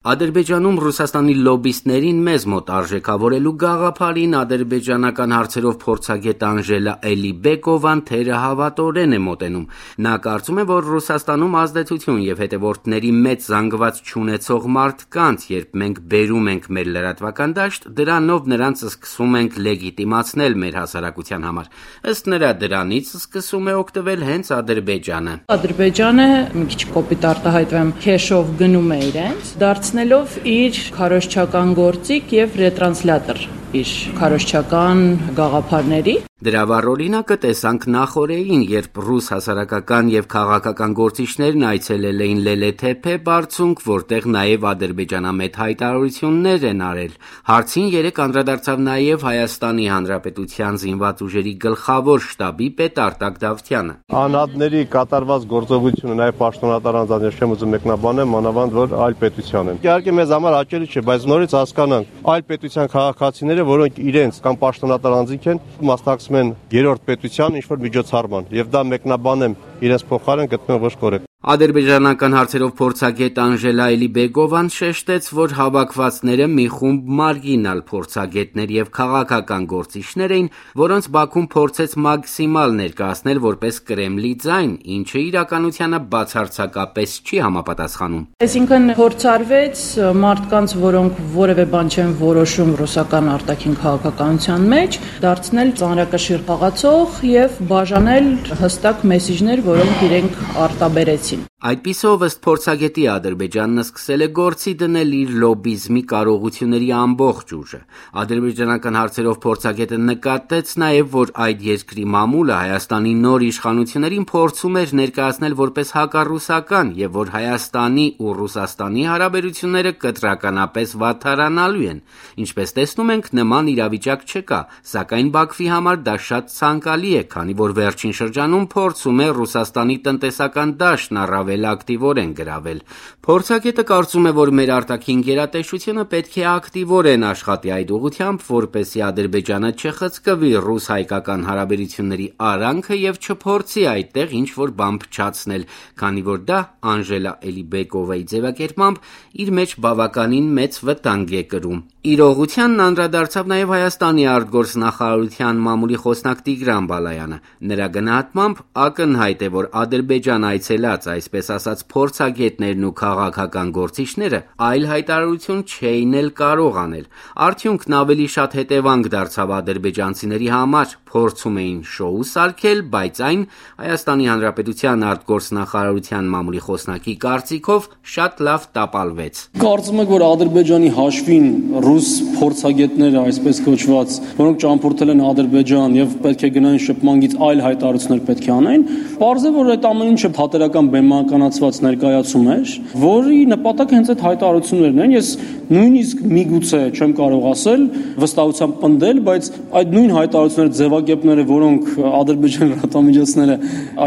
Ադրբեջանում Ռուսաստանի լոբբիստներին մեզ մոտ արժեքավորելու գաղափարին ադրբեջանական հարցերով փորձագետ Անժելա Էլիբեկովան թերահավատորեն է մոտենում։ Նա կարծում է, որ Ռուսաստանում ազդեցություն եւ հետևորդների մեծ զանգված չունեցող մարդկանց, երբ մենք բերում ենք մեր լրատվական դաշտ, դրանով նրանց սկսում ենք լեգիտիմացնել մեր հասարակության համար։ Ըստ նրա, դրանից սկսում է օգտվել հենց Ադրբեջանը։ Ադրբեջանը մի քիչ կոպիտ արտահայտվեմ, քեշով գնում է իրենց, դարձնելով իր քարոզչական գործիք եւ ռետրանսլատոր իր քարոզչական գաղափարների։ Դրա վառ օրինակը տեսանք նախօրեին, երբ ռուս հասարակական եւ քաղաքական գործիչներն այցելել էին Լելեթեփե բարձունք, որտեղ նաեւ ադրբեջանամետ հայտարարություններ են արել։ Հարցին երեք անդրադարձավ նաեւ Հայաստանի Հանրապետության զինված ուժերի գլխավոր շտաբի պետ Արտակ Դավթյանը։ Անհատների կատարված գործողությունը նաեւ պաշտոնատար անձանց չեմ ուզում մեկնաբանել, մանավանդ որ այլ պետության են։ Իհարկե մեզ համար հաճելի չէ, բայց նորից հասկանանք այլ պետության քաղաքացիները, որոնք իրենց կամ պաշտոնատար անձինք են, մասնակցում են երրորդ պետության ինչ-որ միջոցառման, եւ դա մեկնաբանեմ իրենց փոխարեն գտնում ոչ կորեկտ։ Ադրբեջանական հարցերով փորձագետ Անժելա Էլիբեկովան շեշտեց, որ հավաքվածները մի խումբ մարգինալ փորձագետներ եւ քաղաքական գործիչներ էին, որոնց Բաքուն փորձեց մաքսիմալ ներկայացնել որպես Կրեմլի ձայն, ինչը իրականությանը բացարձակապես չի համապատասխանում։ Այսինքն փորձարվեց մարդկանց, որոնք որևէ բան չեն որոշում ռուսական արտաքին քաղաքականության մեջ, դարձնել ծանրակշիռ խաղացող եւ բաժանել հստակ մեսիջներ, որոնք իրենք արտաբերեցին։ Այդպիսով ըստ փորձագետի Ադրբեջանն սկսել է գործի դնել իր լոբբիզմի կարողությունների ամբողջ ուժը։ Ադրբեջանական հարցերով փորձագետը նկատեց նաև, որ այդ երկրի մամուլը Հայաստանի նոր իշխանություններին փորձում էր ներկայացնել որպես հակառուսական եւ որ Հայաստանի ու Ռուսաստանի հարաբերությունները կտրականապես վատթարանալու են։ Ինչպես տեսնում ենք, նման իրավիճակ չկա, սակայն Բաքվի համար դա շատ ցանկալի է, քանի որ վերջին շրջանում փորձում է Ռուսաստանի տնտեսական դաշտն առավել ակտիվորեն գրավել։ Փորձագետը կարծում է, որ մեր արտաքին գերատեսչությունը պետք է ակտիվորեն աշխատի այդ ուղղությամբ, որպեսզի Ադրբեջանը չխցկվի ռուս-հայկական հարաբերությունների արանքը եւ չփորձի այդտեղ ինչ-որ բան փչացնել, քանի որ դա Անժելա Էլիբեկովայի ձևակերպմամբ իր մեջ բավականին մեծ վտանգ է կրում։ Իրողությանն անդրադարձավ նաև Հայաստանի արտգործնախարարության մամուլի խոսնակ Տիգրան Բալայանը։ Նրա գնահատմամբ ակնհայտ է, որ Ադրբեջան այցելած, այսպես ասած, փորձագետներն ու քաղաքական գործիչները այլ հայտարարություն չէին էլ կարող անել։ Արդյունքն ավելի շատ հետևանք դարձավ ադրբեջանցիների համար, փորձում էին շոու սարքել, բայց այն Հայաստանի Հանրապետության արտգործնախարարության մամուլի խոսնակի կարծիքով շատ լավ տապալվեց։ Կարծում եք, որ Ադրբեջանի հաշվին ռուս փորձագետները, այսպես կոչված, որոնք ճամփորդել են Ադրբեջան եւ պետք է գնային շփմանգից այլ հայտարարություններ պետք է անեն, պարզ է, որ այդ ամեն ինչը թատերական բեմականացված ներկայացում էր, որի նպատակը հենց այդ հայտարարություններն են։ Ես նույնիսկ միգուցե չեմ կարող ասել, վստահությամբ պնդել, բայց այդ նույն հայտարարությունները, ձևակերպները, որոնք Ադրբեջանի լրատվամիջոցները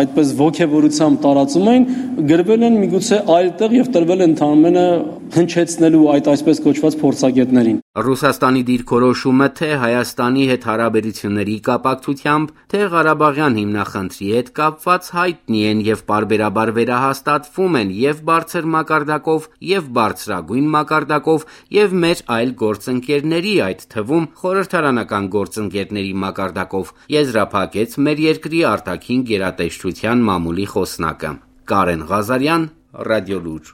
այդպես ոգևորությամբ տարածում էին, գրվել են միգուցե այլտեղ եւ տրվել են ընդհանրապես հնչեցնելու այդ այսպես կոչված փորձագետներին։ Ռուսաստանի դիրքորոշումը թե Հայաստանի հետ հարաբերությունների կապակցությամբ, թե Ղարաբաղյան հիմնախնդրի հետ կապված հայտնի են եւ պարբերաբար վերահաստատվում են եւ բարձր մակարդակով, եւ բարձրագույն մակարդակով, եւ մեր այլ գործընկերների, այդ թվում խորհրդարանական գործընկերների մակարդակով, եզրափակեց մեր երկրի արտաքին գերատեսչության մամուլի խոսնակը։ Կարեն Ղազարյան, Ռադիոլուր։